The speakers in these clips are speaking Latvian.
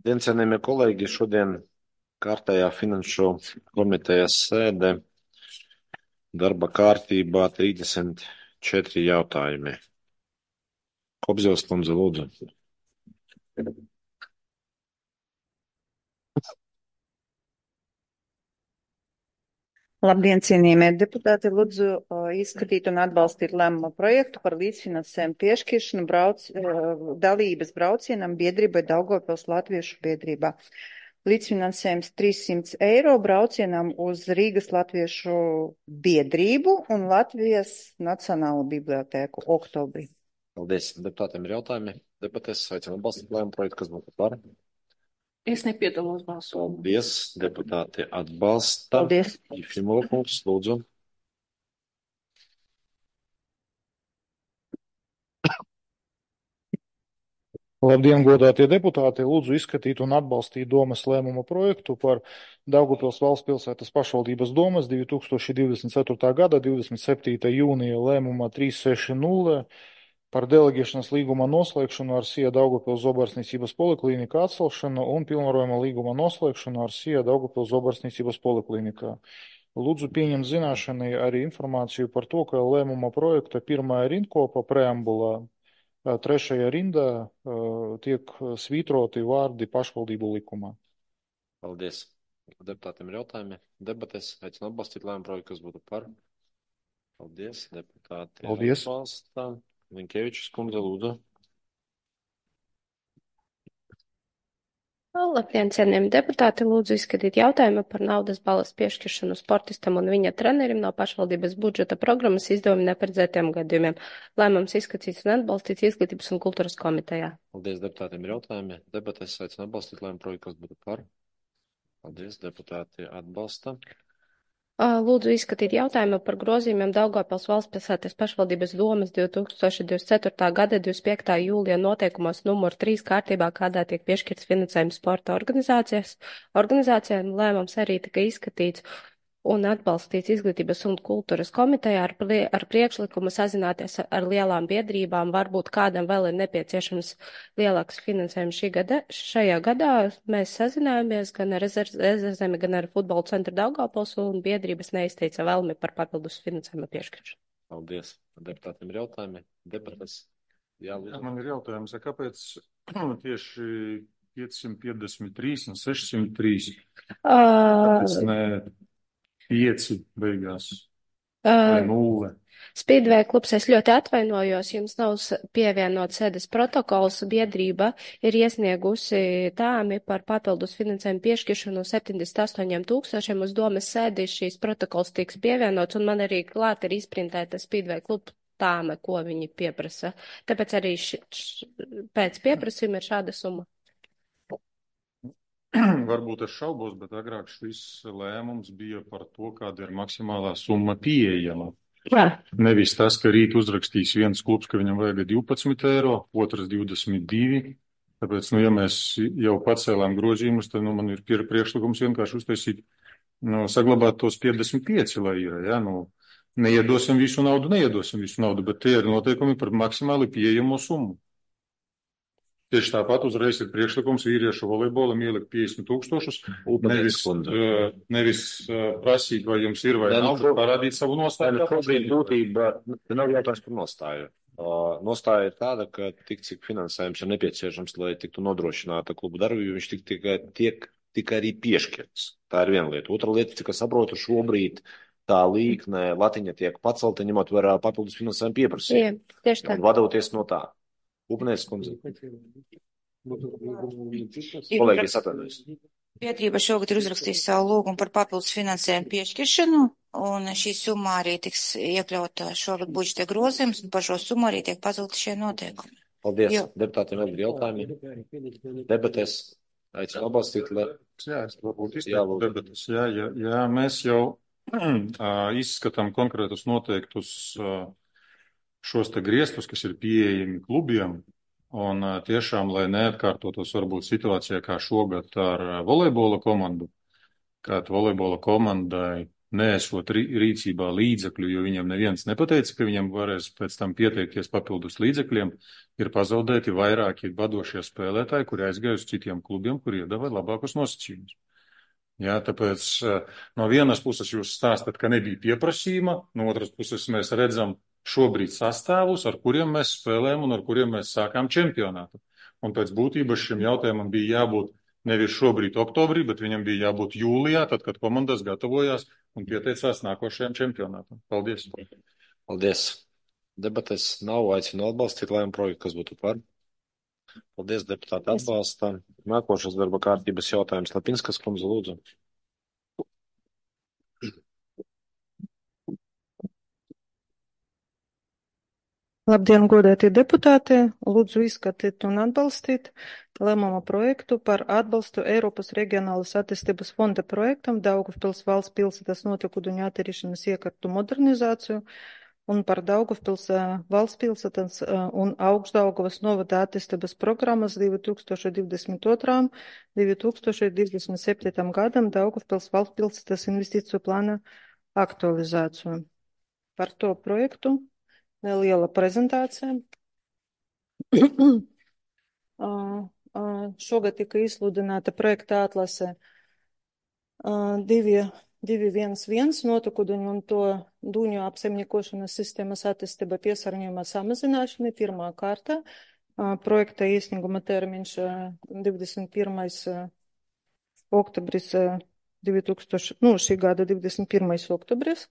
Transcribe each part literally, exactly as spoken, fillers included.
Labdien, cienījamie kolēģi! Šodien kārtējā finanšu komitejas sēde, darba kārtībā trīsdesmit četri jautājumi. Kobzevs kundze, lūdzu. Labdien, cienījamie deputāti! Lūdzu uh, izskatīt un atbalstīt lēmuma projektu par līdzfinansējumu piešķiršanu brauc, uh, dalības braucienam biedrībai Daugavpils Latviešu biedrībā. Līdzfinansējums trīssimts eiro braucienam uz Rīgas Latviešu biedrību un Latvijas Nacionālo bibliotēku oktobrī. Paldies. Deputātiem ir jautājumi. Debatēs aicinu atbalstīt lēmuma projektu, kas būtu par. Es nepiedalos balsojumā. Paldies. Deputāti atbalsta. Paldies. Jefimova kungs, lūdzu. Labdien, godātie deputāti! Lūdzu izskatīt un atbalstīt domes lēmuma projektu par Daugavpils valsts pilsētas pašvaldības domes divi tūkstoši divdesmit ceturtā gada divdesmit septītā jūnija lēmuma trīs seši nulle par deleģēšanas līguma noslēgšanu ar S I A Daugavpils Zobarsniecības poliklīnika atcelšanu un pilnvarojuma līguma noslēgšanu ar S I A Daugavpils Zobarsniecības poliklinikā. Lūdzu pieņemt zināšanai arī informāciju par to, ka lēmuma projekta pirmā rindkopa preambulā trešajā rindā uh, tiek svītroti vārdi pašvaldību likumā. Paldies. Deputātiem ir jautājumi. Debates aicinu atbalstīt lēmumu projektu, kas būtu par. Paldies. Deputāti Paldies. atbalsta. Linkevičs kundze, lūdzu. Labdien, cienījami deputāti! Lūdzu izskatīt jautājumu par naudas balvas piešķiršanu sportistam un viņa trenerim no pašvaldības budžeta programmas izdevumi neparedzētiem gadījumiem. Lēmums izskatīts un atbalstīts Izglītības un kultūras komitejā. Paldies, deputātiem ir jautājumi. Debates aicinu atbalstīt lēmumu projektu, kas būtu par. Paldies, deputāti atbalsta. Lūdzu izskatīt jautājumu par grozījumiem Daugavpils valsts pilsētas pašvaldības domes divi tūkstoši divdesmit ceturtā gada divdesmit piektā jūlija noteikumos numur trīs kārtībā, kādā tiek piešķirts finansējums sporta organizācijas. Organizācijām lēmums arī tika izskatīts un atbalstīts Izglītības un kultūras komitejā ar, prie, ar priekšlikumu sazināties ar lielām biedrībām. Varbūt kādam vēl ir nepieciešams lielāks finansējums šī gada. Šajā gadā mēs sazinājāmies gan ar Ezerzemi, gan ar futbola centru Daugavpils, un biedrības neizteica vēlmi par papildus finansējuma piešķiršanu. Paldies. Deputātiem ir jautājumi. Debates. Jā, lūdzu. Man ir jautājums, kāpēc tieši piecsimt piecdesmit trīs un sešsimt trīs? Kāpēc ne pieci beigās vai nulle? Speedway klubs, es ļoti atvainojos, jums nav pievienot sēdes protokols. Biedrība ir iesniegusi tāmi par papildus finansējumu piešķiršanu septiņdesmit astoņiem tūkstošiem uz domes sēdi. Šīs protokols tiks pievienots, un man arī klāt ir izprintēta Speedway kluba tāme, ko viņi pieprasa. Tāpēc arī š, š, pēc pieprasījuma ir šāda summa. Varbūt es šaubos, bet agrāk šis lēmums bija par to, kāda ir maksimālā summa pieejama. Jā. Nevis tas, ka rīt uzrakstīs viens klubs, ka viņam vajag divpadsmit eiro, otrs divdesmit divi. Tāpēc, nu, ja mēs jau pacēlām grozījumus, tad, nu, man ir priekšlikums vienkārši uztaisīt, nu, saglabāt tos piecdesmit pieci, lai ir, ja, nu, neiedosim visu naudu, neiedosim visu naudu, bet tie ir noteikumi par maksimāli pieejamo summu. Tieši tāpat uzreiz ir priekšlikums vīriešu volejbolam ielikt piecdesmit tūkstošus, nevis, uh, nevis uh, prasīt, vai jums ir vai nav, bet parādīt savu nostāju. Šobrīd būtība nav jautājums par nostāju. Uh, nostāja ir tāda, ka tik cik finansējums ir nepieciešams, lai tiktu nodrošināta klubu darbība, viņš tik, tikai tiek tikai arī piešķirts. Tā ir viena lieta. Otra lieta, cik es saprotu, šobrīd tā līkne latiņa tiek pacelta, ņemot vērā papildus finansējumu pieprasījumu. Jā, tieši tā. Un vadoties no tā. Upnēs kundze. Kolēģis atvainojas. Biedrība šogad ir uzrakstījusi savu lūgumu par papildus finansējumu piešķiršanu, un šī summa arī tiks iekļauta šogad budžeta grozījums, un par šo summu arī tiek pacelti šie noteikumi. Paldies. Jo. Deputātiem vēl ir jautājumi. Debatēs aicinu atbalstīt, lai... Jā, es varbūt izteiktu debates. Jā, jā, jā, mēs jau izskatām konkrētus noteiktus šos te griestus, kas ir pieejami klubiem, un tiešām, lai neatkārtotos varbūt situācijā kā šogad ar volejbola komandu, kad volejbola komandai neesot rīcībā līdzekļu, jo viņiem neviens nepateica, ka viņiem varēs pēc tam pieteikties papildus līdzekļiem, ir pazaudēti vairāki vadošie spēlētāji, kuri aizgāja uz citiem klubiem, kuri iedeva labākus nosacījumus. Jā, tāpēc no vienas puses jūs stāstat, ka nebija pieprasījuma, no otras puses mēs redzam šobrīd sastāvus, ar kuriem mēs spēlējam un ar kuriem mēs sākām čempionātu. Un pēc būtības šim jautājumam bija jābūt nevis šobrīd oktobrī, bet viņam bija jābūt jūlijā, tad, kad komandas gatavojās un pieteicās nākošajam čempionātam. Paldies. Paldies. Debates nav, aicinu atbalstīt lēmumu projektu, kas būtu par. Paldies, deputāti atbalsta. Nākošais darba kārtības jautājums. Lapinskas kundze, lūdzu. Labdien, godētie deputāti! Lūdzu izskatīt un atbalstīt lēmuma projektu par atbalstu Eiropas Reģionālas attīstības fonda projektam Daugavpils valsts pilsētas notekūdeņu attīrīšanas iekārtu modernizāciju un par Daugavpils valsts pilsētas un Augšdaugavas novada attīstības programmas divi tūkstoši divdesmit otram - divi tūkstoši divdesmit septītam gadam Daugavpils valsts pilsētas investīciju plāna aktualizāciju. Par to projektu neliela prezentācija. Šogad tika izsludināta projekta atlase divi viens viens notekūdeņu un to dūņu apsaimniekošanas sistēmas attīstība piesārņojuma samazināšana pirmā kārta. Projekta iesnieguma termiņš divdesmit pirmais oktobris divi tūkstoši, nu, šī gada divdesmit pirmais oktobris.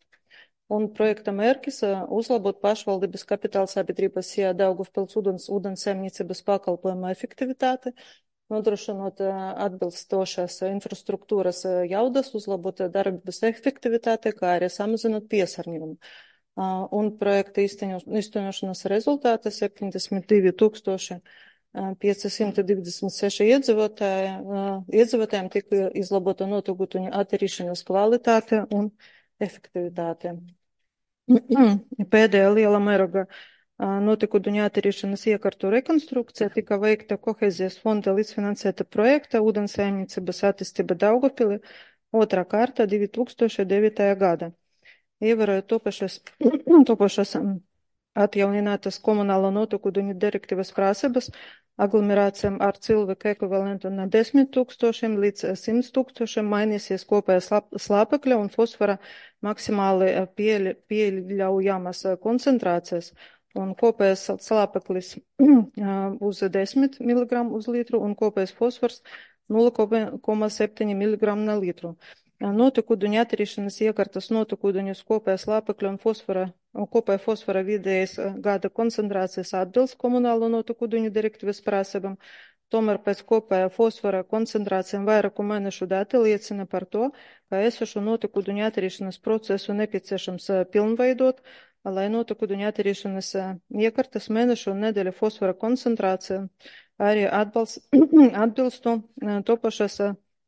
Un projekta mērķis uzlabot pašvaldības kapitāla sabiedrības Daugavpils ūdens, ūdensaimniecības pakalpojuma efektivitāti, nodrošinot atbilstošās infrastruktūras jaudas, uzlabot darbības efektivitāti, kā arī samazinot piesārņojumu. Un projekta īstenošanas rezultāti septiņdesmit divi tūkstoši piecsimt divdesmit seši iedzīvotāji, iedzīvotājiem tika izlabota notekūdeņu attīrīšanas kvalitāte un efektivitāte. Pēdējā liela mēroga notekūdeņu attīrīšanas iekārtu rekonstrukcija tika veikta Kohēzijas fonda līdzfinansēta projekta ūdensaimniecības attīstība Daugavpilī otrā kārta divi tūkstoši devītajā gada. Ievērojot topašas, topašas atjauninātas komunālo notekūdeņu direktīvas prasības, aglomerācijām ar cilvēku ekvivalentu no desmit tūkstošiem līdz simt tūkstošiem mainīsies kopējās slāpekļa un fosfora maksimāli pieļaujamas koncentrācijas, un kopējais slāpeklis uz desmit miligramu uz litru un kopējais fosfors nulle koma septiņi miligramu na litru. Notekūdeņu attīrīšanas iekārtas notekūdeņus kopējā slāpekļa un fosfora, kopējā fosfora vidējas gada koncentrācijas atbilst komunālo notekūdeņu direktīvas prasībām, tomēr pēc kopējā fosfora koncentrācijām vairāku mēnešu dati liecina par to, ka esošo notekūdeņu attīrīšanas procesu nepieciešams pilnveidot, lai notekūdeņu attīrīšanas iekārtas mēnešu un nedēļu fosfora koncentrācija arī atbalst, atbilstu topašas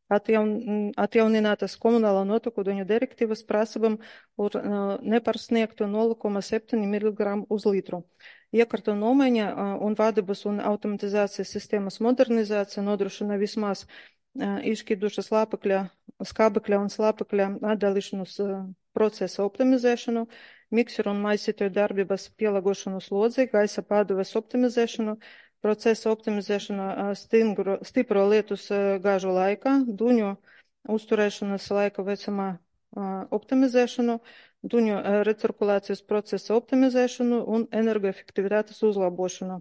Atjaun, atjauninātas komunālo notekūdeņu direktīvas prasībām un neparsniegtu nulle koma septiņi miligramu uz litru. Iekārtu nomaiņa un vadības un automatizācijas sistēmas modernizācija nodrošina vismaz izšķīduša slāpekļa, skābekļa un slāpekļa atdalīšanas procesa optimizēšanu, mikseru un maisītoju darbības pielāgošanu slodzei, gaisa pārdeves optimizēšanu, procesa optimizēšana stingro, stipro lietus gāžu laikā, duņu uzturēšanas laika vecumā optimizēšanu, duņu recirkulācijas procesa optimizēšanu un energoefektivitātes uzlabošanu.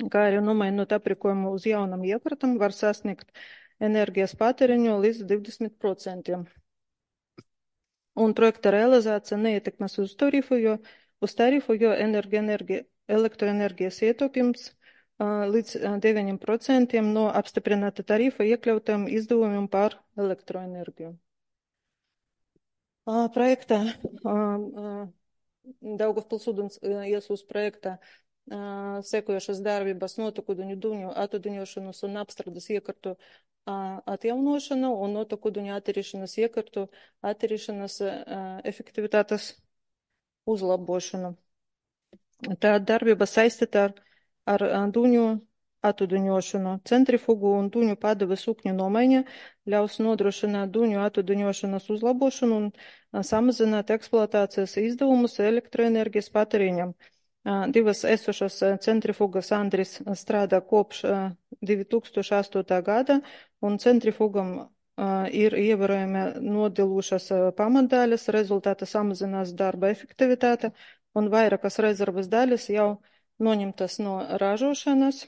Kā arī nomainot aprīkojumu uz jaunam iekārtam, var sasniegt enerģijas patēriņu līdz divdesmit procentiem. Un projekta realizācija neietekmēs uz tarifu, jo, uz tarifu, jo energi, energi, elektroenerģijas ietaupījums līdz deviņiem procentiem no apstiprināta tarifa iekļautām izdevumiem par elektroenerģiju. Projektā Daugavpils ūdens iesūs projektā sekojošas darbības notekūdeņu duņu atūdeņošanas un apstrādes iekārtu atjaunošana un notekūdeņu attīrīšanas iekārtu attīrīšanas efektivitātes uzlabošana. Tā darbība saistīta ar ar duņu attuduņošanu. Centrifugu un duņu padeve sukņu nomaiņa ļaus nodrošināt duņu attuduņošanas uzlabošanu un samazināt eksploatācijas izdevumus elektroenerģijas patēriņam. Divas esošas centrifugas Andris strādā kopš divi tūkstoši astotā gada, un centrifugam ir ievērojami nodilušas pamatdaļas, rezultātā samazinās darba efektivitāte, un vairākas rezerves daļas jau noņemtas no ražošanas.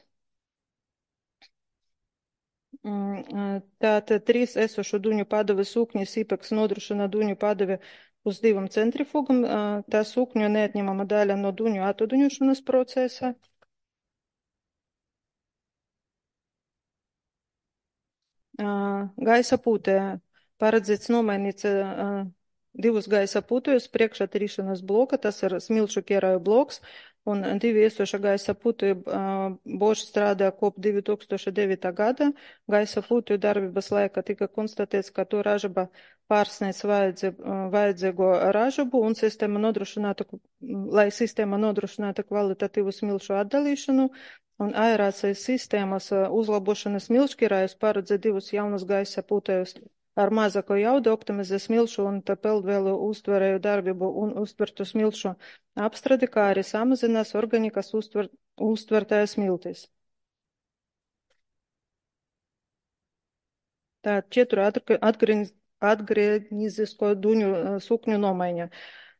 Tātad trīs esošu duņu padeve sūkņi Sīpeks nodrošina duņu padeve uz divam centrifugam. Tā sūkņu neatņemama daļa no duņu attuduņošanas procesa. Gaisa pūtē paredzēts nomainīt divus gaisa pūtējus priekšatrīšanas bloka, tas ir smilšu ķērāju bloks, un divi iesoša gaisa pūtēju Bošs strādā kop divi tūkstoši devītā gada. Gaisa pūtēju darbības laikā tika konstatēts, ka to ražaba pārsniedz vajadzīgo ražabu, un sistēma nodrošinātu, lai sistēma nodrošinātu kvalitatīvu smilšu atdalīšanu, un aerācijas sistēmas uzlabošanas smilšķirājus paredz divus jaunus gaisa pūtējus ar mazāko jaudu, optimizē smilšu un peldvēlu uztverēju darbību un uztvertu smilšu apstradi, kā arī samazinās organikas uztver, uztvertājas smiltis. Tā četru atgrieznisko duņu sukņu nomaiņa.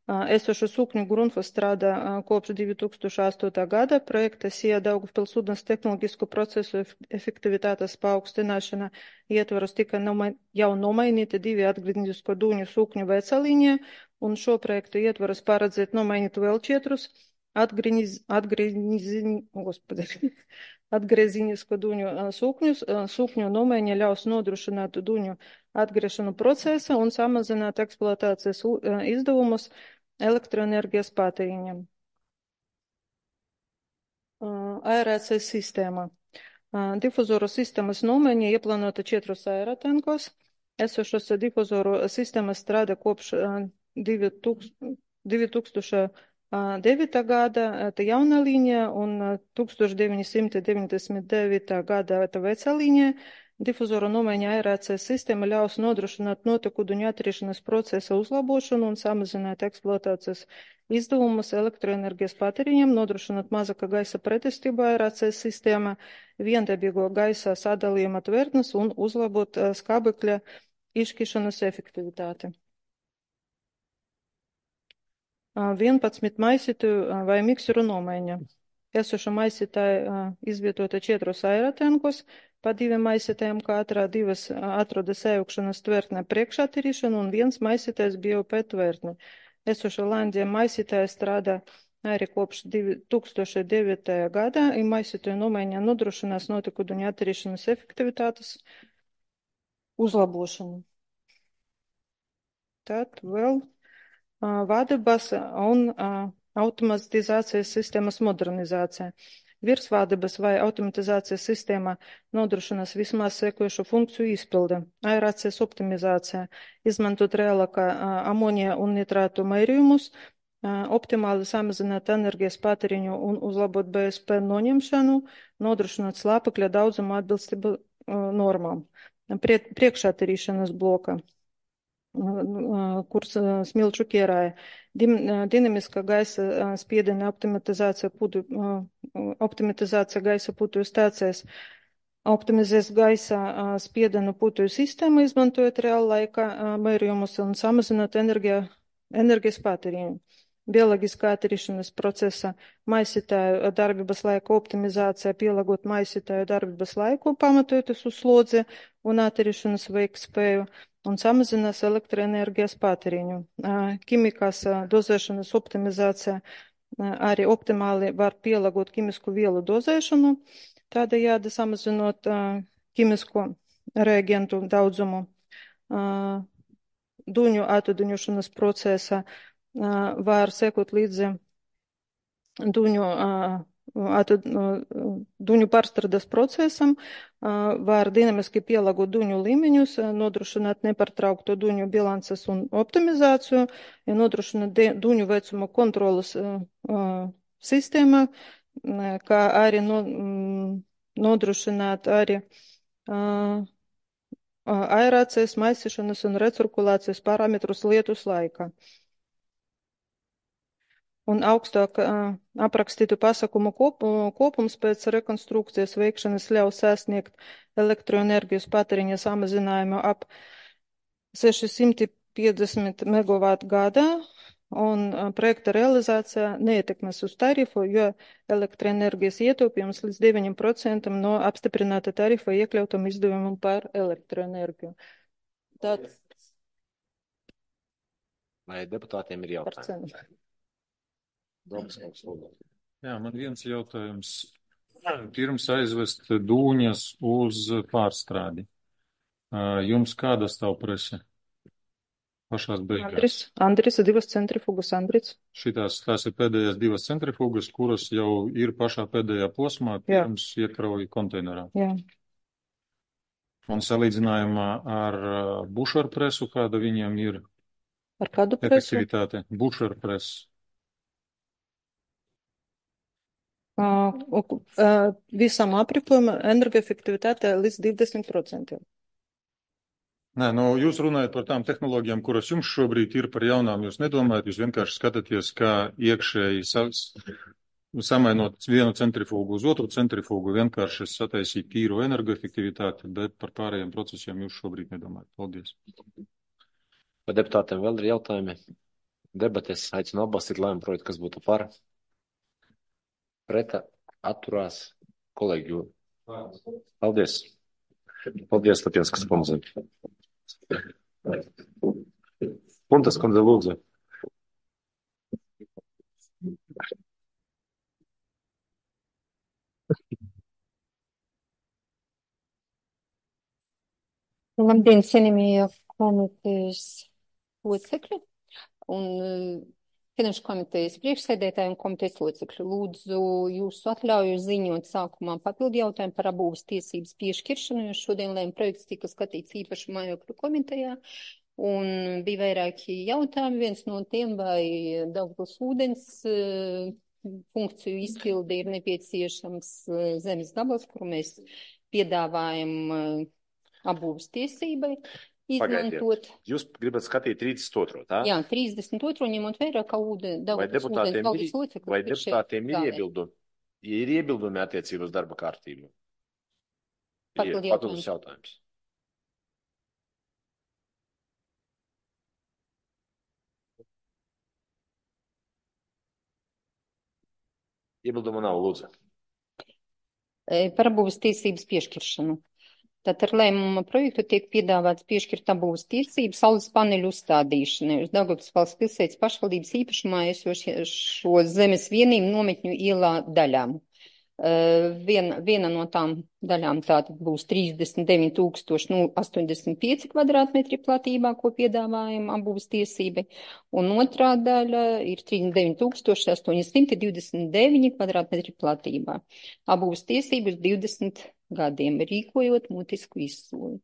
Esošu sukņu Grundfos strādā kopš divi tūkstoši astotā gada. Projekta Sija Daugavpils ūdens tehnoloģisku procesu efektivitātes paaugstināšana ietvaros tika nomai, jau nomainīti divi atgrieznisko duņu sukņu vecalīņie, un šo projektu ietvaros paredzēt nomainīt vēl četrus atgriez, atgrieznisko atgrieznisko duņu sukņus. Sukņu nomaiņa ļaus nodrošināt duņu atgriešanu procesa un samazināt eksploatācijas izdevumus elektroenerģijas patēriņam. Aerācijas sistēma. Difuzoru sistēmas nomaiņa ieplānota četros aerotankos. Esošos difuzoru sistēmas strādā kopš divi tūkstoši devītā gada tā jauna līnija un tūkstoš deviņi simti deviņdesmit devītā gada tā vecā līnija. Difuzoru nomaiņa aerācijas sistēma ļaus nodrošināt notekuduņu atriešanas procesa uzlabošanu un samazināt eksploatācijas izdevumus elektroenerģijas patēriņam, nodrošināt mazāka gaisa pretestību aerācijas sistēmā, viendabīgo gaisa sadalījuma tvertnes un uzlabot skābekļa izšķiršanas efektivitāti. vienpadsmit maisītu vai mikseru nomaiņa. Esoša maisītāja izvietota četros aerotankos, pa diviem maisītājiem katrā divas atrodas ēukšanas tvertne priekšatirīšana un viens maisītājs B O P tvertne. Esoša Landija maisītāja strādā arī kopš divi tūkstoši devītajā gadā, un maisītāju nomaiņā nodrošinās notekuduņu attīrīšanas efektivitātes uzlabošanu. Tad vēl vadības un automatizācijas sistēmas modernizācija. Virsvādības vai automatizācijas sistēmā nodrošinās vismaz sekojušu funkciju izpilde. Aerācijas optimizācija, izmantot reālākā amonija un nitrātu mērījumus, optimāli samazināt enerģijas patēriņu un uzlabot B S P noņemšanu, nodrošināt slāpekļa daudzumu atbilstību normām. Priekšatirīšanas bloka, kurs smilšu ķērāja. Dinamiska gaisa spiediena optimizācija, putu, optimizācija gaisa putuju stācijas optimizēs gaisa spiedienu putuju sistēmu, izmantojot reāla laika mērījumus un samazināt enerģija, enerģijas patēriņu. Bioloģiskā attīrīšanas procesa maisītāju darbības laika optimizācija, pielāgot maisītāju darbības laiku, pamatojoties uz slodzi un attīrīšanas veiktspēju, un samazinās elektroenerģijas patēriņu. Ķimikās dozēšanas optimizācija arī optimāli var pielāgot ķimisku vielu dozēšanu, tādējādi samazinot ķimisko reagentu daudzumu. Duņu attuduņošanas procesa var sekot līdzi duņu, attud, duņu pārstrādes procesam, var dinamiski pielāgot duņu līmeņus, nodrošināt nepārtraukto duņu bilances un optimizāciju, nodrošināt duņu vecumu kontrolas sistēmā, kā arī no, nodrošināt arī uh, aerācijas, maisīšanas un recirkulācijas parametrus lietus laikā. Un augstāk uh, aprakstītu pasākumu kop, kopums pēc rekonstrukcijas veikšanas ļaus sasniegt elektroenerģijas patēriņa samazinājumu ap seši piecdesmit megavatu gadā, un uh, projekta realizācija neietekmēs uz tarifu, jo elektroenerģijas ietaupījums līdz deviņiem procentiem no apstiprināta tarifa iekļautam izdevumam par elektroenerģiju. Tad Vai deputātiem ir par jautājumi? cenu. Domas kungs, lūdzu. Jā, man viens jautājums. Pirms aizvest dūņas uz pārstrādi. Ā, Jums kāda stāv prese? Pašās beigās. Andris, Andris, divas centrifugas Andris. Šitās, tās ir pēdējās divas centrifugas, kuras jau ir pašā pēdējā posmā, Jā. pirms iekrauj konteinerā. Jā. Un salīdzinājumā ar uh, bušaru presu, kāda viņiem ir Ar kādu presu? efektivitāte? Bušaru presu. Uh, uh, visam aprīkojumam energoefektivitāte līdz divdesmit procentiem. Nē, nu, jūs runājat par tām tehnoloģijām, kuras jums šobrīd ir par jaunām. Jūs nedomājat, jūs vienkārši skatāties, kā iekšēji sa samainot vienu centrifugu uz otru centrifugu, vienkārši sataisīt tīru energoefektivitāti, bet par pārējiem procesiem jūs šobrīd nedomājat. Paldies. Vai deputātiem vēl ir jautājumi? Debates aicinu atbalstīt lēmumu projektu, kas būtu par. Preta atturās kolēģi. Paldies. Paldies, Lapienskas kundze. Puntas kundze, lūdzu. Labdien, cienījamie komitejas locekļi un uh, Finanšu komitejas priekšsēdētāji un komitejas locekļi. Lūdzu jūsu atļauju ziņot sākumā papildu jautājumu par abūves tiesības piešķiršanu, jo šodien lēma projekts tika skatīts īpaši mājokļu komitejā. Un bija vairāki jautājumi. Viens no tiem, vai Daugavpils ūdens uh, funkciju izpildi ir nepieciešams uh, zemes gabals, kuru mēs piedāvājam uh, abūves tiesībai izmantot. Pagaidiet. Jūs gribat skatīt trīsdesmit otro, tā? Jā, trīsdesmit otro ņemot vērā, ka ūde, Vai Daugavpils ūdens deputātiem valdes ir, locekļi vai ir šeit deputātiem ir zālē. iebildumi? Ir iebildumi attiecībā uz darba kārtību? Papildu Ir papildus jautājums. Iebildumu nav, lūdzu. E, Par abūves tiesības piešķiršanu. Tātad ar lēmuma projektu tiek piedāvāts piešķirt abūves tiesības saules paneļu uzstādīšanai uz Daugavpils valsts pilsētas pašvaldības īpašumā esošo zemes vienību nometņu ielā daļām. Uh, viena, viena no tām daļām tātad būs trīsdesmit deviņi tūkstoši astoņdesmit pieci kvadrātmetri platībā, ko piedāvājam abūves tiesībai, un otrā daļa ir trīsdesmit deviņi tūkstoši astoņsimt divdesmit deviņi kvadrātmetri platībā. Abūves tiesības divdesmit gadiem, rīkojot mutisku izsūli.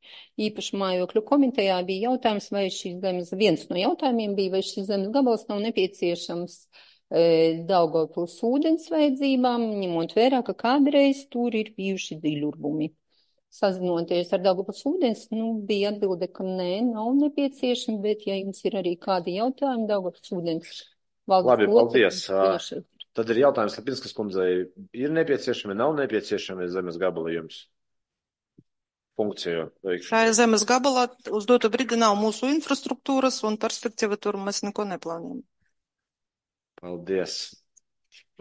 Īpaši mājokļu komitejā bija jautājums, vai šīs zemes, viens no jautājumiem bija, vai šīs zemes gabals nav nepieciešams Daugavpils ūdens vajadzībām, ņemot vērā, ka kādreiz tur ir bijuši dziļurbumi. Sazinoties ar Daugavpils ūdens, nu, bija atbilde, ka nē, nav nepieciešami, bet ja jums ir arī kādi jautājumi, Daugavpils ūdens valdes Labi, paldies. locekļi. Tad ir jautājums Lapinskas kundzei. Ir nepieciešami, nav nepieciešami zemes gabali jums? Funkciju veikšanu. Šajā zemes gabalā uz dotu brīdi nav mūsu infrastruktūras un perspektīva tur mēs neko neplānojam. Paldies.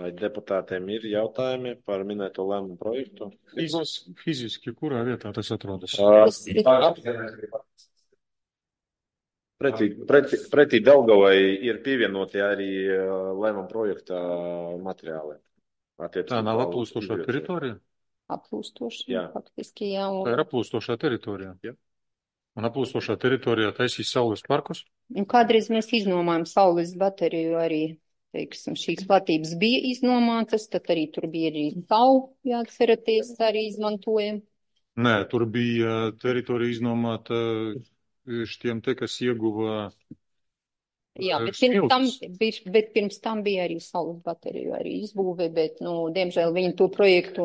Vai deputātiem ir jautājumi par minēto lēmumu projektu? Fiziski, fiziski kurā vietā tas atrodas? Pretī, pretī, pretī Daugavai ir pievienoti arī lēmumu projekta materiāli. Tā nav aplūstošā teritorija? Aplūstošā, Jā. faktiski, jā. Tā ir aplūstošā teritorija. Jā. Un aplūstošā teritorijā taisīs saules parkus? Un kādreiz mēs iznomājam saules bateriju arī, teiksim, šīs platības bija iznomātas, tad arī tur bija arī tau, jāatceraties, arī izmantojam. Nē, tur bija teritorija iznomāta šiem te, kas ieguva Jā, bet pirms tam, bija- bet pirms tam bija arī saules bateriju arī izbūve, bet, nu, diemžēl viņi to projektu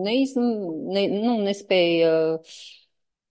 neiz, ne, nu, nespēja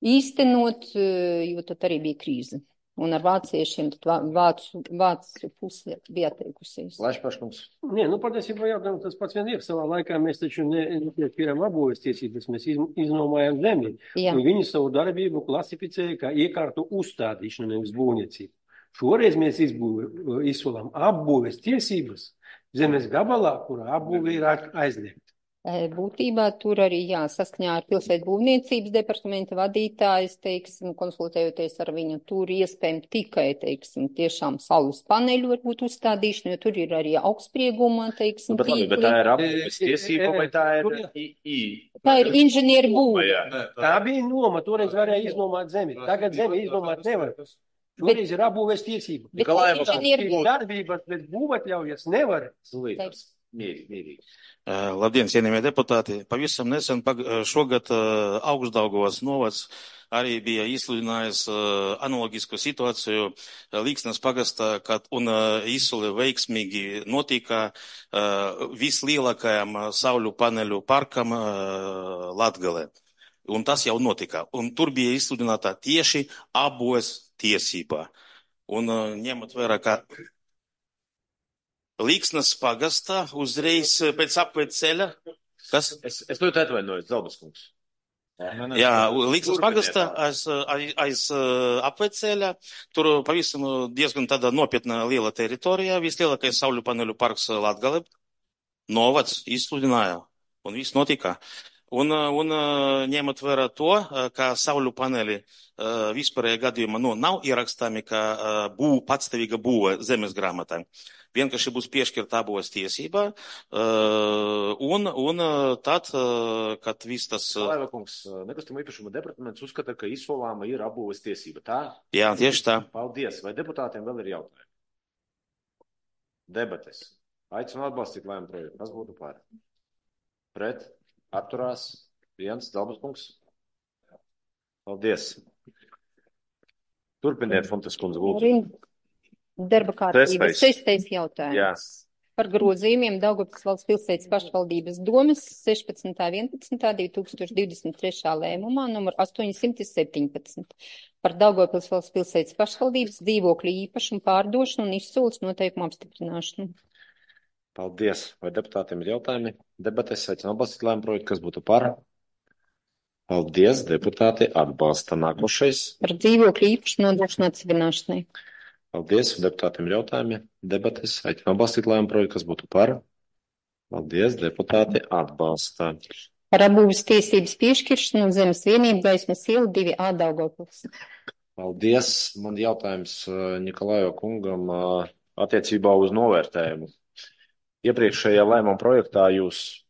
īstenot, jo tad arī bija krīze. Un ar vāciešiem tad vā- vācu, vācu puse bija atteikusies. Laišpaškungs. Nē, nu, patiesībā jautājums tas pats vien ir. Savā laikā mēs taču ne- nepiešķīrām apbūves tiesības, mēs iz, iznomājām zemi. Jā. Un viņi savu darbību klasificēja kā iekārtu uzstādīšanu, nevis būvniecību. Šoreiz mēs izbūve, izsolām apbūves tiesības zemes gabalā, kurā apbūve ir a- aizliegta. E, Būtībā tur arī, jā, saskaņā ar pilsētu būvniecības departamenta vadītājs, teiksim, konsultējoties ar viņu, tur iespējami tikai, teiksim, tiešām saules paneļu varbūt uzstādīšana, jo tur ir arī augstsprieguma, teiksim, Nu, bet, labi, bet tā ir apbūves tiesība vai tā ir I I? Tā ir inženieru būve. Jā. Tā bija noma, toreiz varēja iznomāt zemi. Tagad zemi iznomāt nevar. Šoreiz ir apbūves tiesība. Bet Nikolājeva inženieru būve. Darbības, bet būvatļaujas nevar. Slīdās. Mierīgi, mierīgi. Uh, Labdien, cienījamie deputāti! Pavisam nesen pag šogad uh, Augstdaugavas novads arī bija izsludinājis uh, analogisku situāciju uh, Līksnas pagastā, kad un uh, izsole veiksmīgi notika uh, vislielākajam uh, sauļu paneļu parkam uh, Latgalē. Un tas jau notika. Un tur bija izsludināta tieši apbūves tiesība. Un uh, ņemot vērā, ka Līksnas pagastā uzreiz pēc apved ceļa, kas? Es, es ļoti atvainojos, Zalduskungs. Jā, Līksnas pagastā aiz, aiz, aiz apved ceļa, tur pavisam diezgan tāda nopietna liela teritorija, vislielākais sauļu paneļu parks Latgale, novads izsludināja, un viss notika. Un, un ņemot vērā to, ka sauļu paneļi vispārējā gadījumā nu, nav ierakstāmi, ka būv, patstāvīga būve zemes grāmatā. Vienkārši būs piešķirta apbūves tiesība, un, un tad, kad viss tas... Laiva kungs, nekustamo īpašuma departaments uzskata, ka izsolāma ir apbūves tiesība, tā? Jā, tieši tā. Paldies. Vai deputātiem vēl ir jautājumi? Debates. Aicinu atbalstīt lēmumu projektu. Kas būtu par? Pret? Atturās? Viens? Zalduskungs? Paldies. Turpiniet, Fontes kundze, lūdzu. Darba kārtības sestais jautājums. Jā. Par grozījumiem Daugavpils valsts pilsētas pašvaldības domas sešpadsmitā vienpadsmitā divi tūkstoši divdesmit trešā lēmumā numur astoņsimt septiņpadsmit par Daugavpils valsts pilsētas pašvaldības dzīvokļu īpašumu pārdošanu un izsoles noteikumu apstiprināšanu. Paldies. Vai deputātiem ir jautājumi? Debates aicinu atbalstīt lēmumu projektu. Kas būtu par? Paldies. Deputāti atbalsta. Nākošais. Par dzīvokļu īpašumu nodošanu atsevināšanai. Paldies. Deputātiem ir jautājumi. Debates aicinu atbalstīt lēmumu projektu. Kas būtu par? Paldies. Deputāti atbalsta. Par apbūves tiesības piešķiršanu un zemes vienību Gaismas iela divi A Daugavpils. Paldies. Man jautājums Nikolājo kungam attiecībā uz novērtējumu. Iepriekšējā lēmuma projektā jūs,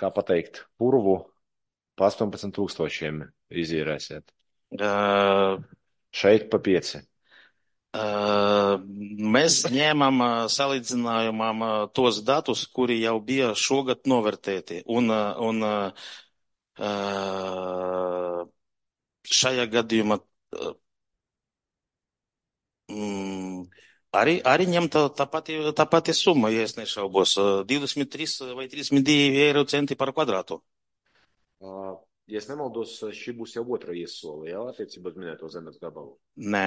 kā pateikt, purvu pa astoņpadsmit tūkstošiem izīrēsiet. Uh, Šeit pa pieci. Uh, mēs ņēmām uh, salīdzinājumam uh, tos datus, kuri jau bija šogad novērtēti. Un, uh, un uh, šajā gadījumā uh, mm, arī, arī ņemta tā pati, tā pati summa, ja es nešaubos, uh, divdesmit trīs vai trīsdesmit divi eiro centi par kvadrātu. Uh, ja es nemaldos, šī būs jau otra iesole, jā, attiecībā uz minēto zemes gabalu. Nē.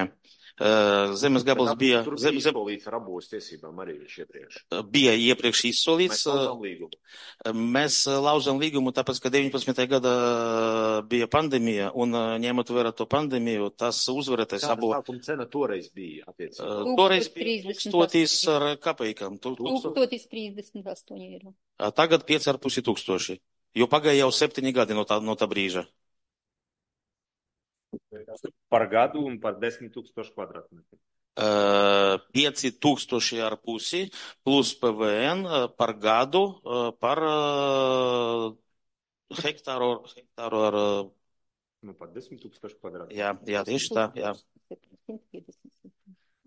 Uh, zemes gabals Bet, bija... Tur zem, bija zem, izsolīts ar apbūves tiesībām arī viņš iepriekš. bija iepriekš izsolīts. Mēs lauzām līgumu. Mēs lauzām līgumu, tāpēc, ka deviņpadsmitajā gadā bija pandēmija, un ņemot vērā to pandēmiju, tas uzvarētais Kāda abo... sākuma cena toreiz bija attiecībā? Uh, toreiz bija tūkstotis ar kapeikām. tūkstotis trīsdesmit astoņi eiro. Tagad pieci ar pusi tūkstoši. Jo pagāja jau septiņi gadi no tā, no tā brīža. Par gadu un par desmit tūkstošu kvadrātmetru. Uh, pieci tūkstoši ar pusi plus P V N uh, par gadu uh, par uh, hektāru, hektāru ar... Uh, nu, par desmit tūkstošu kvadrātmetru. Jā, jā, tieši tā, jā.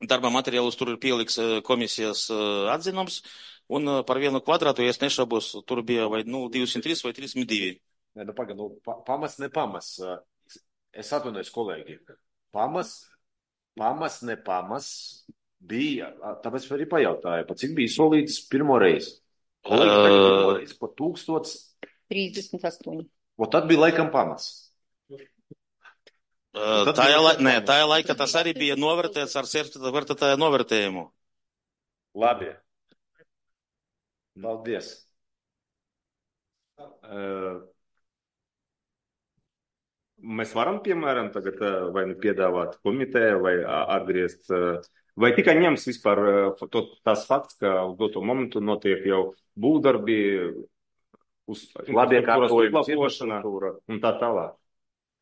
Darba materiālus tur ir pieliks komisijas uh, atzinums, un uh, par vienu kvadrātu, ja es nešaubos, tur bija vai nu divdesmit trīs vai trīsdesmit divi. Nē, nu pagaid, nu, pa, pamas, ne pamas. Es atvainojos, kolēģi. Pamas pamas, ne pamas bija, tāpēc arī pajautāju, pa cik bija solīts pirmo reizi. Kolēģi, tagad pirmo reizi pa tūkstots. trīsdesmit astoņi. O tad bija laikam pamas. Uh, tā ir la... Nē, tā ir laika, tas arī bija novērtēts ar certificētāju novērtējumu. Labi. Paldies. Uh, mēs varam, piemēram, tagad vai nu piedāvāt komiteju, vai atgriezt, vai tikai ņems vispār to, tās fakts, ka uz doto momentu notiek jau būvdarbi, uz labiekārtojuma un tā tālāk.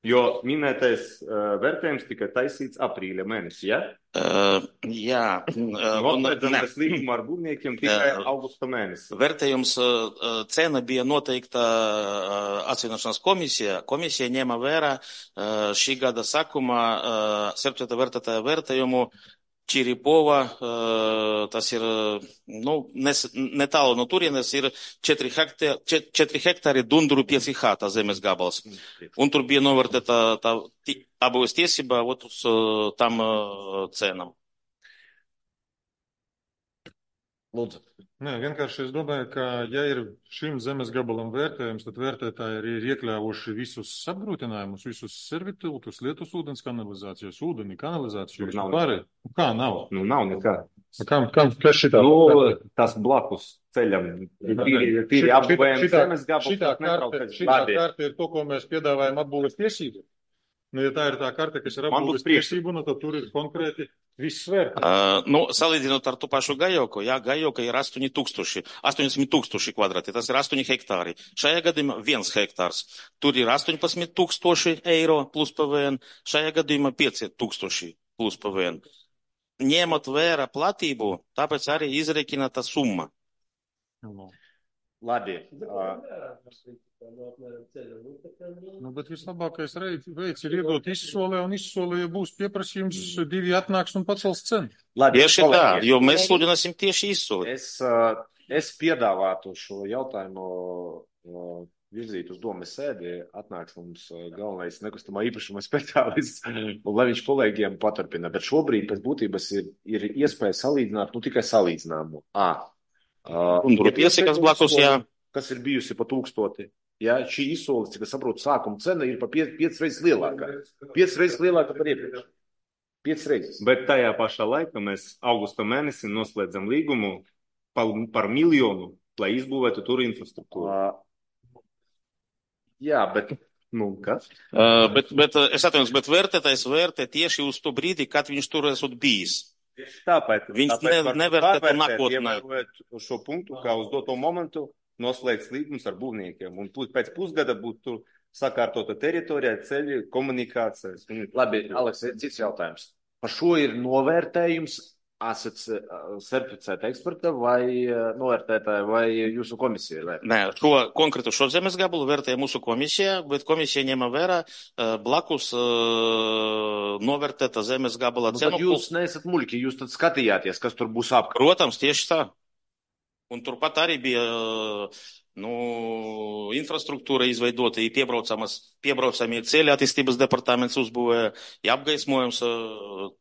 Jo minētais uh, vērtējums tikai taisīts aprīļa mēnesī, ja? Uh, jā. Noslēdzamies līgumu ar būvniekiem tikai uh, augusta mēnesī. Vērtējums, uh, cena bija noteikta uh, atsvinošanas komisija. Komisija ņēma vērā uh, šī gada sākumā uh, septītā vērtētāja vērtējumu Čiripova, uh, tas ir, nu, nes, netālu no turienes, ir četri hektāri, četri hektāri Dunduru pieci H, tā zemes gabals. Un tur bija novērtēta tā apbūves tiesība ot uz uh, tam uh, cenam. Lūdzu. Nē, vienkārši es domāju, ka ja ir šim zemes gabalam vērtējums, tad vērtētāji arī ir iekļāvuši visus apgrūtinājumus, visus servitūtus, lietus ūdens kanalizācijas, ūdeni, kanalizāciju. Nav pārēj. Kā nav? Nu, nav nekā. Kam, kam, kas šitā? Nu, tas blakus ceļam. Tīri, tīri apbūvējam zemes gabalu. Šitā karte, šitā karte ir to, ko mēs piedāvājam apbūves tiesību. Nu, ja tā ir tā karte, kas ir apbūves tiesību, nu, tad tur ir konkrēti viss vērtē. Uh, nu, salīdzinot ar to pašu Gajoku, jā, Gajoka ir astoņi tūkstoši, astoņdesmit tūkstoši kvadrāti, tas ir astoņi hektāri. Šajā gadījumā viens hektārs. Tur ir astoņpadsmit tūkstoši eiro plus P V N, šajā gadījumā pieci tūkstoši plus P V N. Ņemot vērā platību, tāpēc arī izreikina tā summa. Labi. Nu, bet vislabākais veids ir iedot izsolē, un izsolē, ja būs pieprasījums, divi atnāks un pacels cenu. Labi, tieši tā, jo mēs sludināsim tieši izsolē. Es, es piedāvātu šo jautājumu virzīt uz domas sēdi, atnāks mums galvenais nekustamā īpašuma speciālists, un lai viņš kolēģiem paturpina. Bet šobrīd pēc būtības ir, ir iespēja salīdzināt, nu tikai salīdzināmu. À, un tur pieci, kas blakus, jā. Kas ir bijusi pa tūkstoti. Ja, šī izsoles, cik es saprotu, sākuma cena ir pa piec, piec reizes lielākā. Piec reizes lielākā par iepriekš. Piec reizes. Bet tajā pašā laikā mēs augusta mēnesī noslēdzam līgumu par, par miljonu, lai izbūvētu tur infrastruktūru. Uh, jā, bet, nu, kas? Uh, bet, bet, es atvainojos, bet vērtētājs vērtē tieši uz to brīdi, kad viņš tur esot bijis. Tāpēc, viņš tāpēc ne, nevērtē nākotnē. Uz šo punktu, kā uz doto momentu, noslēgts līgums ar būvniekiem, un pēc pusgada būtu sakārtota teritorija, ceļi, komunikācijas. Labi, Aleks, cits jautājums. Par šo ir novērtējums certificēta eksperta vai novērtētāja vai jūsu komisija? Vai? Nē, šo konkrētu šo zemes gabalu vērtēja mūsu komisija, bet komisija ņēma vērā blakus novērtēta zemes gabala nu, cenu. Jūs neesat muļķi, jūs tad skatījāties, kas tur būs apkārt. Protams, tieši tā. Un turpat arī bija nu, infrastruktūra izveidota, piebraucamie ceļi attīstības departaments uzbūvēja, apgaismojums.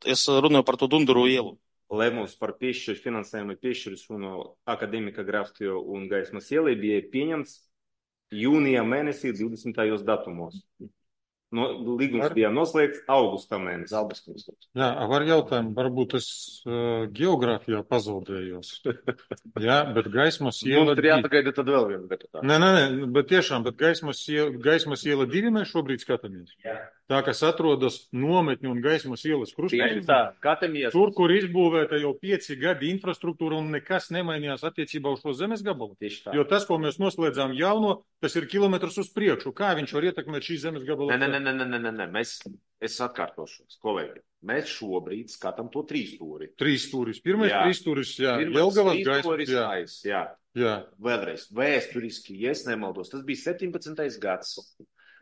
Es runāju par to Dunduru ielu. Lēmums par piešķiru finansējumu piešķiras no akadēmika Grafstio un Gaismas ielai bija pieņemts jūnija mēnesī divdesmitajos datumos. No, līgums var... bija noslēgts augusta mēnesī. Jā, var jautājumu, varbūt es uh, geogrāfijā pazaudējos. Jā, bet Gaismas iela... Mums ir jāpagaida tad vēl vienu deputātu. Nē, nē, nē, bet tiešām, bet Gaismas iela, Gaismas iela divi mēs šobrīd skatāmies. Jā. Tā, kas atrodas nometņu un Gaismas ielas krustējumā. Tur, kur izbūvēta jau pieci gadi infrastruktūra un nekas nemainījās attiecībā uz šo zemes gabalu. Jo tas, ko mēs noslēdzām jauno, tas ir kilometrs uz priekšu. Kā viņš var ietekmēt šī zemes gabalu? Nē, nē, nē, nē, nē, nē. Mēs, es atkārtošos, kolēģi. Mēs šobrīd skatām to trīs stūri. Trīs stūris. Pirmais jā. trīs stūris, jā. Jelgavas Gaismas, jā. jā. Jā. Vēlreiz, vēsturiski, ja es nemaldos, tas bija septiņpadsmitais gads.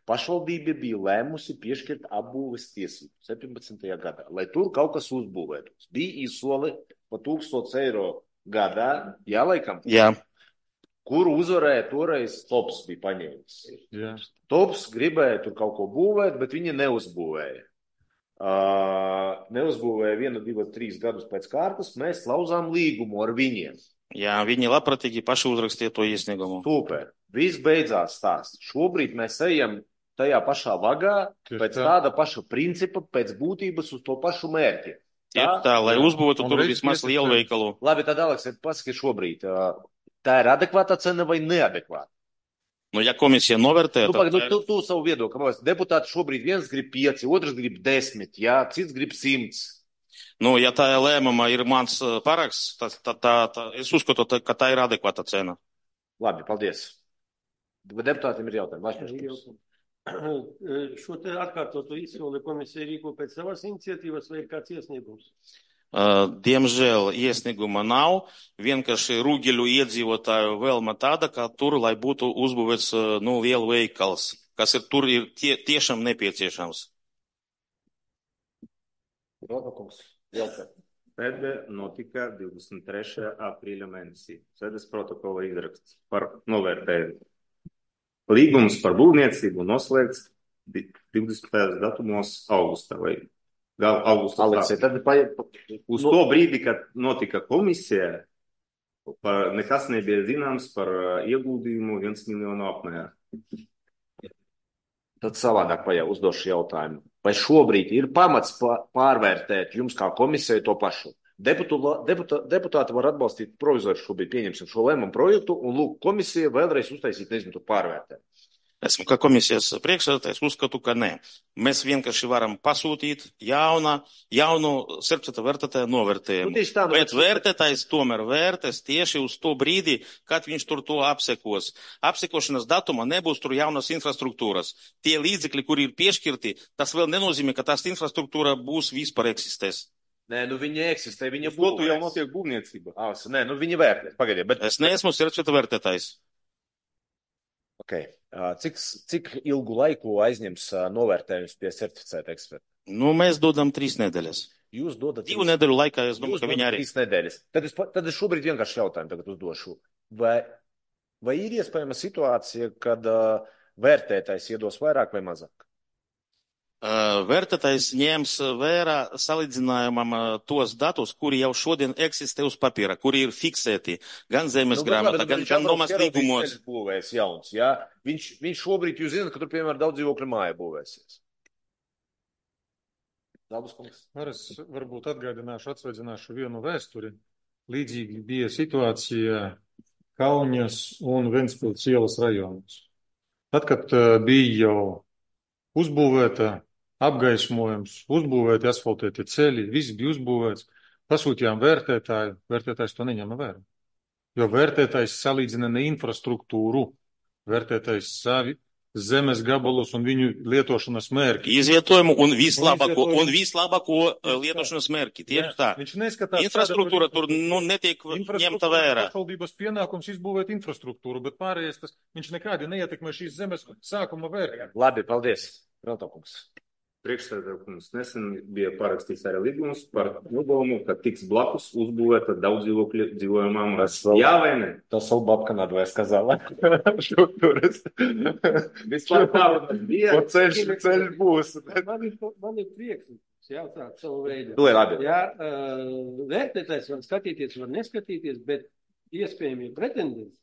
Pašvaldība bija lēmusi piešķirt apbūves tiesību septiņpadsmitajā gadā, lai tur kaut kas uzbūvētos. Bija izsole pa tūkstots eiro gadā, jā, laikam? Jā. Kuru uzvarēja toreiz Tops bija paņēmis. Jā. Tops gribēja tur kaut ko būvēt, bet viņi neuzbūvēja. uh, neuzbūvēja vienu, divu, trīs gadus pēc kārtas, mēs slauzām līgumu ar viņiem. Jā, viņi labprātīgi paši uzrakstīja to iesniegumu. Super. Viss beidzās stāsts. Šobrīd mēs ejam tajā pašā vagā, Tieši pēc tā. tāda paša principa, pēc būtības uz to pašu mērķi. Tieši tā, lai uzbūvētu Un tur reiz vismaz piesakām. lielu veikalu. Labi, tad, Aleks, pasaki šobrīd, uh, tā ir adekvāta cena vai neadekvāta? Nu, ja komisija novērtē, Nu, tad pagaid, nu, tu, tu savu viedokli. Man liekas, deputāti šobrīd viens grib pieci, otrs grib desmit, jā, cits grib simts. nu, ja tā lēmuma ir mans uh, paraksts, tad tā, tā, tā, es uzskatu, tā, ka tā ir adekvāta cena. Labi, paldies. Deputātiem ir jautājumi. Vašķis Ir kungs. jautājums. Šo te atkārtotu izsoli komisija rīko pēc savas iniciatīvas vai ir kāds iesniegums? Uh, Diemžēl iesnieguma nav, vienkārši Rūgeļu iedzīvotāju vēlma tāda, ka tur, lai būtu uzbūvēts uh, nu, lielu veikals, kas ir tur ir tie, tiešām nepieciešams. Rotakungs, jautājumi. Sēde notika divdesmit trešajā aprīļa mēnesī. Sēdes protokola izraksts par novērtējumu. Līgums par būvniecību noslēgts divdesmitajos datumos augustā vai gal augusta Aleks, sākumā. tad pa, Uz nu, to brīdi, kad notika komisija, par, nekas nebija zināms par uh, ieguldījumu viens miljonu apmērā. tad savādāk pajā uzdošu jautājumu. Vai šobrīd ir pamats pa- pārvērtēt jums kā komisijai to pašu? Deputu, deputā, deputāti var atbalstīt provizori šobrīd pieņemsim šo lēmumu projektu un lūk komisija vēlreiz uztaisīt, nezinu, to pārvērtēt. Esmu kā komisijas priekšsēdētājs, uzskatu, ka nē. Mēs vienkārši varam pasūtīt jauna, jaunu serpceta vērtētāju Nu, novērtējumu. tieši tā, nu, Bet bet- vērtētājs tomēr vērtēs tieši uz to brīdi, kad viņš tur to apsekos. Apsekošanas datuma nebūs tur jaunas infrastruktūras. Tie līdzekļi, kuri ir piešķirti, tas vēl nenozīmē, ka tās infrastruktūra būs vispār eksistēs. Nē, nu viņa eksistē, viņa Uz to tu jau būvēs. notiek būvniecība. Ah, nē, nu viņa vērtē, pagaidiet, bet... Es neesmu serpceta vērtētājs. Okay. Ā, Cik, cik ilgu laiku aizņems ā, novērtējums pie certificēta eksperta? Nu, mēs dodam trīs nedēļas. Jūs dodat Divu nedēļu laikā, es domāju, Jūs ka viņi dodat arī. trīs nedēļas. Tad es, pa- tad es šobrīd vienkārši jautājumu tagad uzdošu. Vai, vai ir iespējama situācija, kad uh, vērtētājs iedos vairāk vai mazāk? Uh, Vērtētājs ņems vērā salīdzinājumam uh, tos datus, kuri jau šodien eksistē uz papīra, kuri ir fiksēti gan zemes Nu, bet grāmatā, labi, gan, viņš gan Abrovs nomas ieraudzīs līgumos. ceļus būvēs jauns, jā? Viņš, viņš šobrīd, jūs zināt, ka tur, piemēram, daudz dzīvokļu māja būvēsies. Dabas kungs. Ar es varbūt atgādināšu, atsveidzināšu vienu vēsturi. Līdzīgi bija situācija Kauņas un Ventspils ielas rajonos. Tad, kad uh, bija jau uzbūvēta apgaismojums, uzbūvēti asfaltēti ceļi, viss bija uzbūvēts, pasūtījām vērtētāju, vērtētājs to neņēma vērā. Jo vērtētājs salīdzina ne infrastruktūru, vērtētājs savi zemes gabalus un viņu lietošanas mērķi. Izvietojumu un vislabāko, Izvietojumu. un vislabāko uh, lietošanas mērķi. Tieši tā. Viņš neskatās, Infrastruktūra tur nu, netiek ņemta vērā. Pašvaldības pienākums izbūvēt infrastruktūru, bet pārējais tas viņš nekādi neietekmē šīs zemes sākuma vērtību. Labi, paldies. Rotokungs. Priekšsēdētājs nesen bija parakstīts arī līgums par nodomu, ka tiks blakus uzbūvēta daudz dzīvokļu dzīvojamām. Jā vai ne? To savu babka надвое сказала. Что турис? Vispār tā bija. Вот ceļš, ceļš būs. Man ir, man ir prieks jautāt savu veidu. Lai labi. Jā, uh, vērtētājs var skatīties, var neskatīties, bet iespējami pretendenti,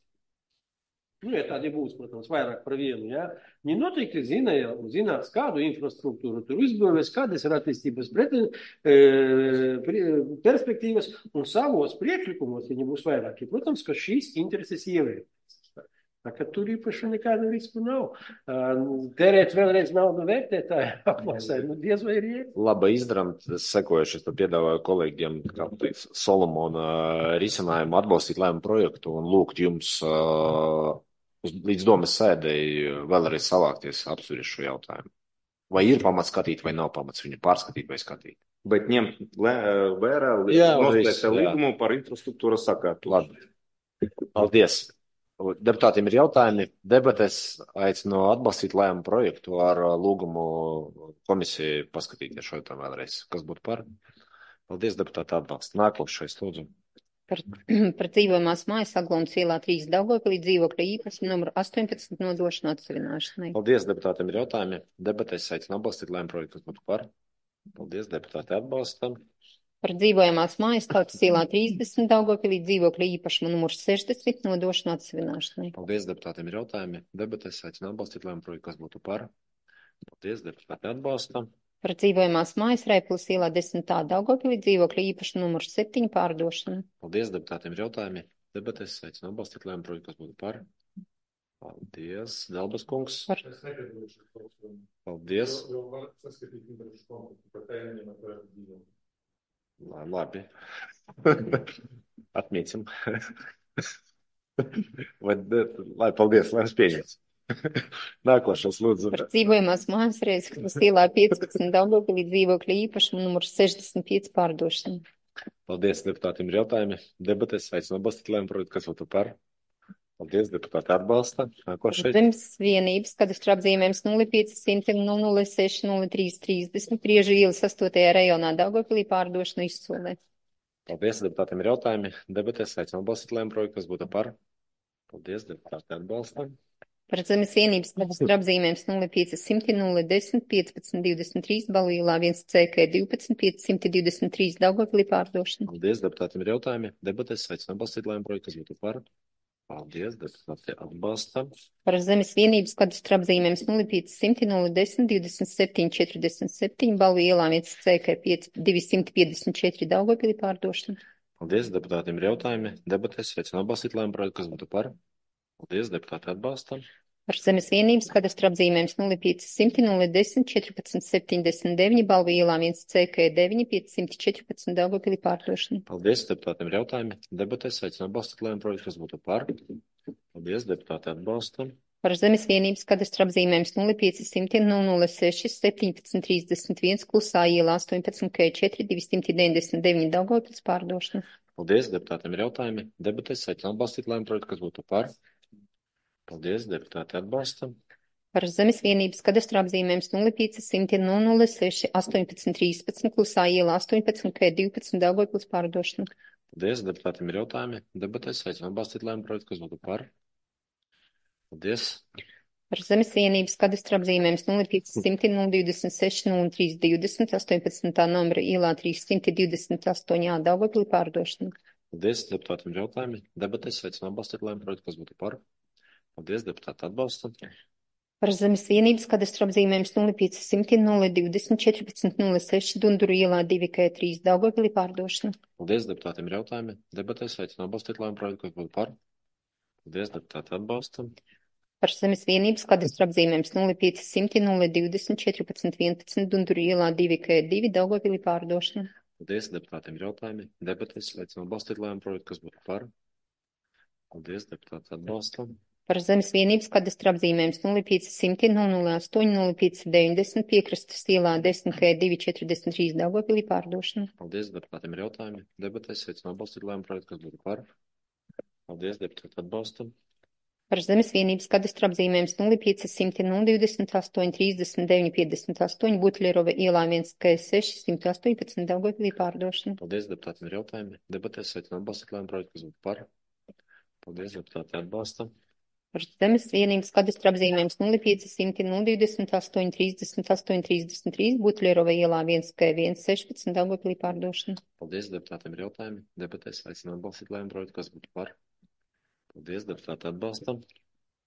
nu, ja tādi būs, protams, vairāk par vienu, jā, viņi noteikti zina jau, zinās, kādu infrastruktūru tur uzbūvēs, kādas ir attīstības preten, e, perspektīvas, un savos priekšlikumos viņi būs vairāki. Protams, ka šīs intereses ievērtīs. Tā kā tur īpaši nekādu risku nav. Terēt vēlreiz naudu vērtētāju apmasai, nu diez vai ir iet. Labi izdarām, sekojuši, es tad piedāvāju kolēģiem, kā teiks, Solomona risinājumu atbalstīt lēmumu projektu un lūgt jums uh, līdz domas sēdēji vēlreiz savākties apspriest šo jautājumu. Vai ir pamats skatīt, vai nav pamats viņu pārskatīt vai skatīt? Bet ņemt lē- vērā Jā, viss, noslēgta jā. līgumu par infrastruktūras sakārtu. Labi. Paldies. Deputātiem ir jautājumi. Debates aicinu atbalstīt lēmumu projektu ar uh, lūgumu komisiju paskatīties šo jautājumu vēlreiz. Kas būtu par? Paldies, deputāti atbalsta. Nākošais, lūdzu. Par, par dzīvojamās mājas Aglons ielā trīs Daugavpilī dzīvokļa īpašumu numuru astoņpadsmit nodošanu atsevināšanai. Paldies, deputātiem ir jautājumi. Debates aicinu atbalstīt lēmumu projektu. Kas būtu par? Paldies, deputāti atbalstam. Par dzīvojamās mājas Tautas ielā trīsdesmit Daugavpilī dzīvokļa īpašuma numurs sešdesmit nodošanu atsevināšanai. Paldies, deputātiem ir jautājumi. Debatēs aicinu atbalstīt lēmumu projektu, kas būtu par. Paldies, deputāti atbalstam. Par dzīvojamās mājas Raipulas ielā desmitā Daugavpilī dzīvokļa īpašuma numurs septiņi pārdošanu. Paldies, deputātiem ir jautājumi. Debatēs aicinu atbalstīt lēmumu projektu, kas būtu par. Paldies, Delbas kungs. Par. Paldies. Lai, labi. Atmīcam. Vai, lai, paldies, lai es pieņems. Nākošais, lūdzu. Par dzīvojamās mājas Reizeknas ielā piecpadsmit Daugavpilī dzīvokļa īpašuma numurs sešdesmit pieci pārdošanu. Paldies, deputātiem ir jautājumi. Debatēs aicinu atbalstīt lēmumu projektu, kas būtu par. Paldies, deputāti atbalsta. Nākošais. Zemes vienības kadastra apzīmējums nulle pieci simti nulle seši nulle trīs trīsdesmit Priežu ielas astotajā rajonā Daugavpilī pārdošanu izsolē. Paldies, deputātiem ir jautājumi. Debatēs aicinu atbalstīt lēmumu projektu, kas būtu par. Paldies, deputāti atbalsta. Par zemes vienības kadastra apzīmējums nulle pieci simti nulle desmit piecpadsmit divdesmit trīs Balīlā viens C K divpadsmit piecsimt divdesmit trīs Daugavpilī pārdošanu. Paldies, deputātiem ir jautājumi. Debatēs aicinu atbalstīt lēmumu projektu, kas būtu par. Paldies, deputāti atbalsta. Par zemes vienības kadastra apzīmējums nulle pieci simti nulle desmit divdesmit septiņi četrdesmit septiņi Balīlā viens C K divsimt piecdesmit četri Daugavpilī pārdošanu. Paldies, deputātiem ir jautājumi. Debatēs aicinu atbalstīt lēmumu projektu, kas būtu par. Paldies, deputāti atbalsta. Par zemes vienības kadastra apzīmējums nulle pieci simti nulle desmit četrpadsmit septiņdesmit deviņi Balvīlā viens C K deviņi piecsimt četrpadsmit Daugavpilī pārdošanu. Paldies, deputātiem ir jautājumi. Debatēs aicinu atbalstīt lēmumu projektu, kas būtu par. Paldies, deputāti atbalsta. Par zemes vienības kadastra apzīmējums nulle pieci simti nulle seši septiņpadsmit trīsdesmit viens Klusā ielā astoņpadsmit K četri divsimt deviņdesmit deviņi Daugavpils pārdošanu. Paldies, deputātiem ir jautājumi. Debatēs aicinu atbalstīt lēmumu projektu, kas būtu par. Paldies, deputāti atbalsta. Par zemes vienības kadastra apzīmējums nulle pieci simti nulle seši astoņpadsmit trīspadsmit Klusā ielā astoņpadsmit K divpadsmit Daugavpils pārdošanu. Paldies, deputātiem ir jautājumi. Debatēs aicinu atbalstīt lēmumu projektu, kas būtu par. Paldies. Par zemes vienības kadastra apzīmējums nulle pieci simti divdesmit seši nulle trīs divdesmit astoņpadsmitā numura ielā trīssimt divdesmit astoņi A Daugavpilī pārdošanu. Paldies, deputātiem ir jautājumi. Debatēs aicinu atbalstīt lēmumu projektu, kas būtu par. Paldies, deputāti atbalsta. Par zemes vienības kadastra apzīmējums nulle pieci simti nulle divdesmit četrpadsmit nulle seši Dunduru ielā divi K trīs Daugavpilī pārdošana. Paldies, deputātiem ir jautājumi. Debatēs aicinu atbalstīt lēmumu projektu, kas būtu par. Paldies, deputāti atbalsta. Par zemes vienības kadastra apzīmējums nulle pieci simti nulle divdesmit četrpadsmit vienpadsmit Dunduru ielā divi K divi Daugavpilī pārdošana. Paldies, deputātiem ir jautājumi. Debatēs aicinu atbalstīt lēmumu projektu, kas būtu par. Paldies, deputāti atbalsta. Par zemes vienības kadastra apzīmējums nulle pieci simti nulle astoņi nulle pieci deviņdesmit Piekrastes ielā desmit K divi četrdesmit trīs Daugavpilī pārdošana. Paldies, deputātiem ir jautājumi. Debatēs aicinu atbalstīt lēmumu projektu, kas būtu par. Paldies, deputāti atbalsta. Par zemes vienības kadastra apzīmējums nulle pieci simti divdesmit astoņi trīsdesmit deviņi piecdesmit astoņi Butlerova ielā viens K seši simt astoņpadsmit Daugavpilī pārdošana. Paldies, deputātiem ir jautājumi. Debatēs aicinu atbalstīt lēmumu projektu, kas būtu par. Paldies, deputāti atbalsta. Par zemes vienības kadastra apzīmējums nulle pieci simti divdesmit astoņi trīsdesmit astoņi trīsdesmit trīs Butlerova ielā viens K viens sešpadsmit Daugavpilī pārdošana. Paldies, deputātiem ir jautājumi. Debatēs aicinu atbalstīt lēmumu projektu, kas būtu par. Paldies, deputāti atbalsta.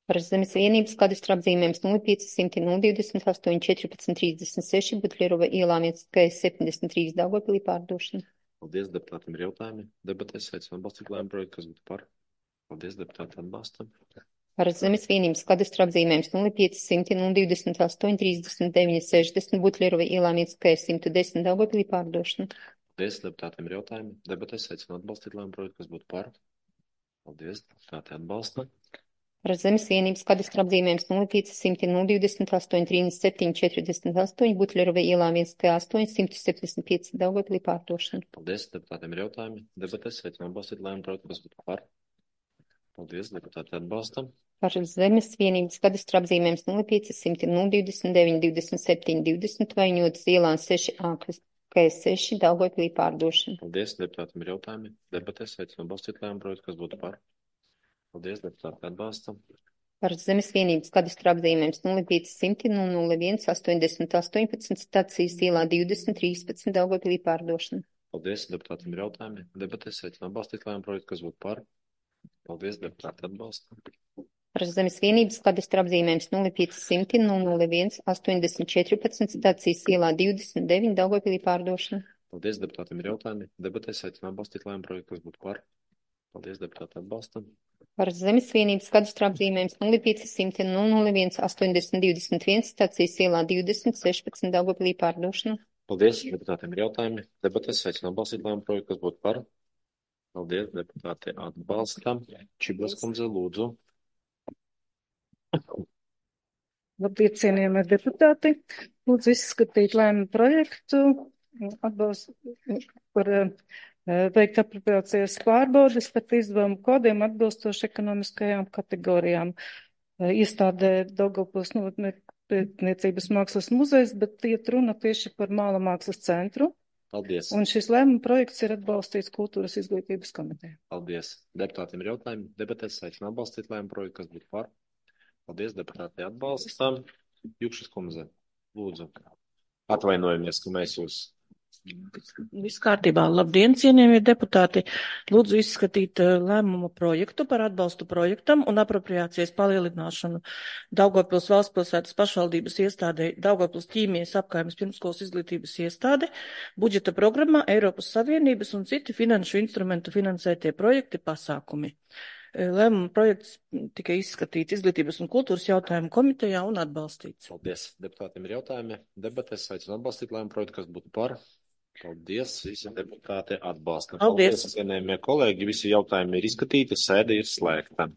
Par zemes vienības kadastra apzīmējums nulle pieci simti divdesmit astoņi četrpadsmit trīsdesmit seši Butlerova ielā viens K septiņdesmit trīs Daugavpilī pārdošana. Paldies, deputātiem ir jautājumi. Debatēs aicinu atbalstīt lēmumu projektu, kas būtu par. Paldies, deputāti atbalsta. Par zemes vienības kadastra apzīmējums nulle pieci simti divdesmit astoņi trīsdesmit deviņi sešdesmit Butlerova ielā viens K simt desmit Daugavpilī pārdošana. Paldies, deputātiem ir jautājumi. Debatēs aicinu atbalstīt lēmumu projektu, kas būtu par. Paldies, deputāti atbalsta. Par zemes vienības kadastra apzīmējums nulle pieci simti divdesmit astoņi trīsdesmit septiņi četrdesmit astoņi Butlerova ielā viens K astoņi simt septiņdesmit pieci Daugavpilī pārdošana. Paldies, deputātiem ir jautājumi. Debatēs aicinu atbalstīt lēmumu projektu, kas būtu par. Paldies, deputāti atbalsta. Par zemes vienības kadastra apzīmējums nulle pieci simti divdesmit deviņi divdesmit septiņi divdesmit Vaņotas ielā seši A K seši Daugavpilī pārdošana. Paldies, deputātiem ir jautājumi. Debatēs aicinu atbalstīt lēmumu projektu, kas būtu par. Paldies, deputāti atbalsta. Par zemes vienības kadastra apzīmējums nulle pieci simti nulle viens astoņdesmit astoņpadsmit stacijas ielā divdesmit trīspadsmit Daugavpilī pārdošana. Paldies, deputātiem ir jautājumi. Debatēs aicinu atbalstīt lēmumu projektu, kas būtu par. Paldies, deputāti atbalsta. Par zemes vienības kadastra apzīmējums nulle pieci simti nulle viens astoņdesmit četrpadsmit stacijas ielā divdesmit deviņi Daugavpilī pārdošana. Paldies, deputātiem ir jautājumi. Debatēs aicinu atbalstīt lēmumu projektu, kas būtu par. Paldies, deputāti atbalsta. Par zemes vienības kadastra apzīmējums nulle pieci simti nulle viens astoņdesmit divdesmit viens stacijas ielā divdesmit sešpadsmit Daugavpilī pārdošana. Paldies, deputātiem ir jautājumi. Debatēs aicinu atbalstīt lēmumu projektu, kas būtu par. Paldies, deputāti atbalsta. Čiblas kundze, lūdzu. Labdien, cienījamie deputāti. Lūdzu izskatīt lēmumu projektu atbalstu par uh, veikt apropriācijas pārbaudes par izdevumu kodiem atbilstoši ekonomiskajām kategorijām. Uh, iestādē Daugavpils novatne pētniecības mākslas muzejs, bet iet runa tieši par Māla mākslas centru. Paldies. Un šis lēmuma projekts ir atbalstīts Kultūras izglītības komitejā. Paldies. Deputātiem ir jautājumi. Debatēs aicinu atbalstīt lēmumu projektu, kas būtu par. Paldies, deputāti atbalstam. Jukšas kundze, lūdzu. Atvainojamies, ka mēs jūs. Viss kārtībā. Labdien, cienījamie deputāti. Lūdzu izskatīt lēmumu projektu par atbalstu projektam un apropriācijas palielināšanu Daugavpils valstspilsētas pašvaldības iestādē Daugavpils ķīmijas apkaimes pirmskolas izglītības iestāde, budžeta programmā Eiropas Savienības un citi finanšu instrumentu finansētie projekti pasākumi. Lēmuma projekts tika izskatīts Izglītības un kultūras jautājumu komitejā un atbalstīts. Paldies. Deputātiem ir jautājumi. Debatēs aicinu atbalstīt lēmumu projektu, kas būtu par. Paldies. Visi deputāti atbalsta. Paldies. Paldies, cienējamie kolēģi. Visi jautājumi ir izskatīti. Sēde ir slēgta.